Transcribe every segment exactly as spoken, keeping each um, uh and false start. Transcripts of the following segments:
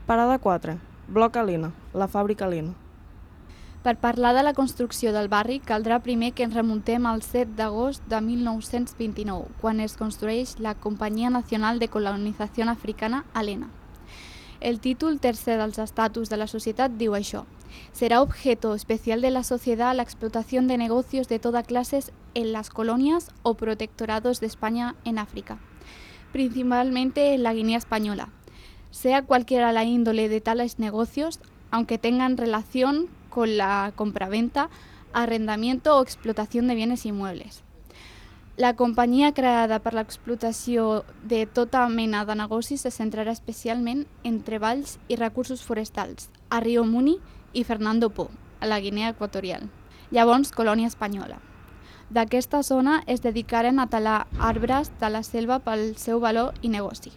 Parada quatre. Bloc Alena, la fàbrica Alena. Per parlar de la construcció del barri, caldrà primer que ens remuntem al set d'agost de mil nou-cents vint-i-nou, quan es construeix la Companyia Nacional de Colonització Africana Alena. El títol tercer dels estatuts de la societat diu això: será objeto especial de la sociedad la explotación de negocios de toda clase en las colonias o protectorados de España en África, principalmente en la Guinea Española, sea cualquiera la índole de tales negocios, aunque tengan relación con la compraventa, arrendamiento o explotación de bienes inmuebles. La companyia creada per l'explotació de tota mena de negocis se centrarà especialment en treballs i recursos forestals a Rio Muni i Fernando Po, a la Guinea Equatorial, llavors colònia espanyola. D'aquesta zona es dedicaren a talar arbres de la selva pel seu valor i negoci.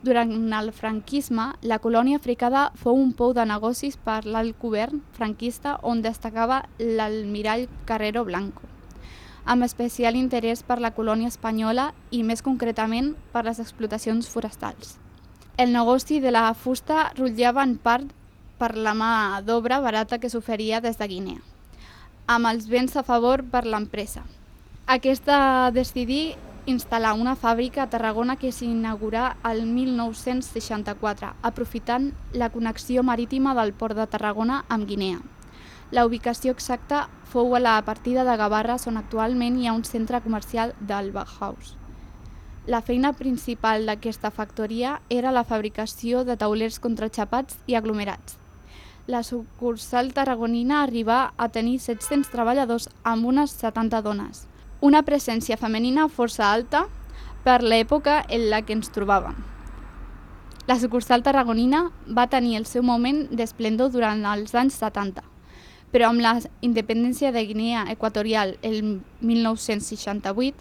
Durant el franquisme, la colònia africana fou un pou de negocis per l'alt govern franquista on destacava l'almirall Carrero Blanco, amb especial interès per la colònia espanyola i més concretament per les explotacions forestals. El negoci de la fusta rotllava en part per la mà d'obra barata que s'oferia des de Guinea, amb els béns a favor per l'empresa. Aquesta decidí instal·lar una fàbrica a Tarragona que s'inaugurà el mil nou-cents seixanta-quatre, aprofitant la connexió marítima del port de Tarragona amb Guinea. La ubicació exacta fou a la partida de Gavarres, on actualment hi ha un centre comercial del Bauhaus. La feina principal d'aquesta factoria era la fabricació de taulers contraxapats i aglomerats. La sucursal tarragonina arribà a tenir set-cents treballadors amb unes setanta dones, una presència femenina força alta per l'època en la que ens trobàvem. La sucursal tarragonina va tenir el seu moment d'esplendor durant els anys setanta, però amb la independència de Guinea Equatorial el mil nou-cents seixanta-vuit,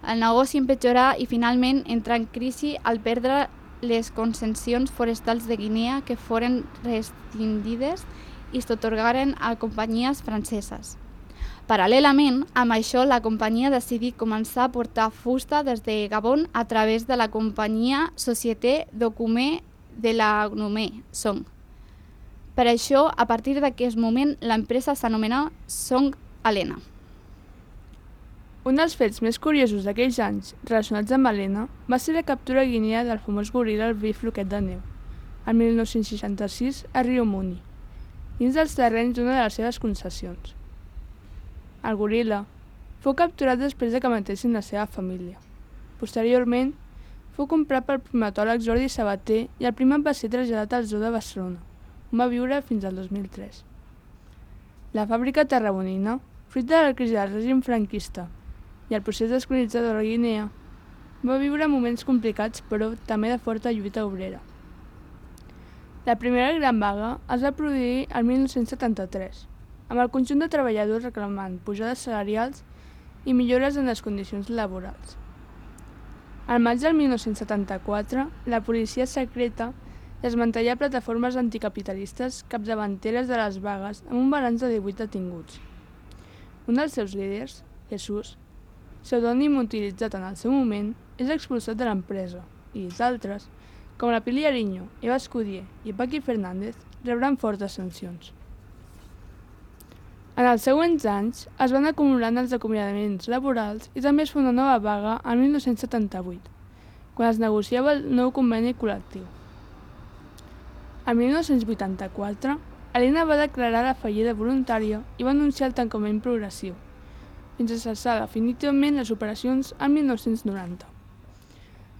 el negoci empitjorà i finalment entrà en crisi al perdre les concessions forestals de Guinea que foren rescindides i s'atorgaren a companyies franceses. Paral·lelament, amb això, la companyia decidí començar a portar fusta des de Gabon a través de la companyia Société Document de la Gnomé, Song. Per això, a partir d'aquest moment, l'empresa s'anomenà Song Alena. Un dels fets més curiosos d'aquells anys relacionats amb Alena va ser la captura a Guinea del famós goril·la el vell floquet de neu, el mil nou-cents seixanta-sis a Rio Muni, dins dels terrenys d'una de les seves concessions. El goril·la fou capturat després de que matessin la seva família. Posteriorment, fou comprat pel primatòleg Jordi Sabater i el primat va ser traslladat al Zoo de Barcelona, on va viure fins al dos mil tres. La fàbrica tarragonina, fruit de la crisi del règim franquista i el procés descolonitzador de la Guinea, va viure moments complicats però també de forta lluita obrera. La primera gran vaga es va produir el mil nou-cents setanta-tres, amb el conjunt de treballadors reclamant pujades salarials i millores en les condicions laborals. Al maig del mil nou-cents setanta-quatre, la policia secreta desmantellà plataformes anticapitalistes capdavanteres de les vagues amb un balanç de divuit detinguts. Un dels seus líders, Jesús, pseudònim utilitzat en el seu moment, és expulsat de l'empresa i d'altres, com la Pili Ariño, Eva Escudier i Paqui Fernández, rebran fortes sancions. En els següents anys es van acumulant els acomiadaments laborals i també es fa una nova vaga el mil nou-cents setanta-vuit, quan es negociava el nou conveni col·lectiu. El mil nou-cents vuitanta-quatre, Alena va declarar la fallida voluntària i va anunciar el tancament progressiu, fins a cessar definitivament les operacions el mil nou-cents noranta.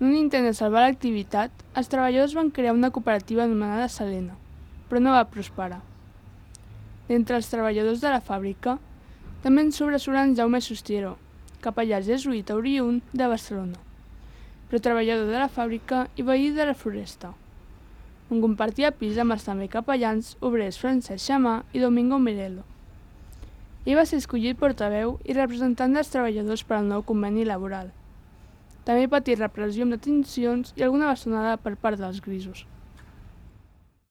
En un intent de salvar l'activitat, els treballadors van crear una cooperativa anomenada Salena, però no va prosperar. D'entre els treballadors de la fàbrica, també en sobresurt en Jaume Sustiero, capellà jesuïta oriünd de Barcelona, però treballador de la fàbrica i veí de la Floresta, on compartia pis amb els també capellans obrers Francesc Xamà i Domingo Mirelo. Ell va ser escollit portaveu i representant dels treballadors per al nou conveni laboral. També patí repressió amb detencions i alguna bastonada per part dels grisos.